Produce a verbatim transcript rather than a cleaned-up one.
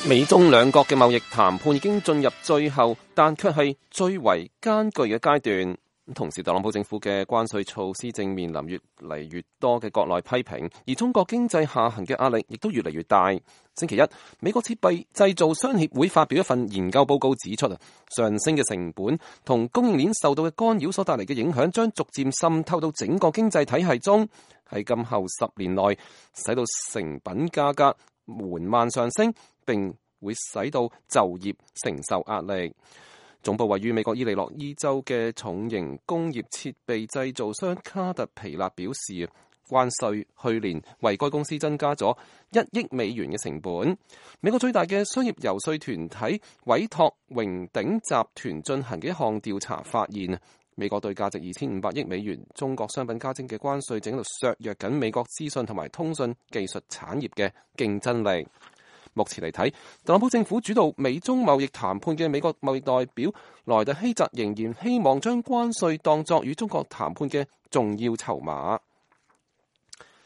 美中兩國嘅貿易談判已經進入最後，但卻係最為艱巨嘅階段。同時，特朗普政府嘅關稅措施正面臨越嚟越多嘅國內批評，而中國經濟下行嘅壓力亦都越嚟越大。星期一，美國設備製造商協會發表一份研究報告指出啊，上升嘅成本同供應鏈受到嘅干擾所帶嚟嘅影響，將逐漸滲透到整個經濟體系中，喺今後十年內使到成品價格緩慢上升，並會使到就業承受壓力。總部位於美國伊利諾伊州嘅重型工業設備製造商卡特皮勒表示，關稅去年為該公司增加咗一億美元嘅成本。美國最大嘅商業游說團體委託榮鼎集團進行嘅一項調查發現，美國對價值二千五百億美元中國商品加徵嘅關稅正喺度削弱緊美國資訊同埋通訊技術產業嘅競爭力。目前嚟睇，特朗普政府主導美中貿易談判嘅美國貿易代表萊特希澤仍然希望將關稅當作與中國談判嘅重要籌碼。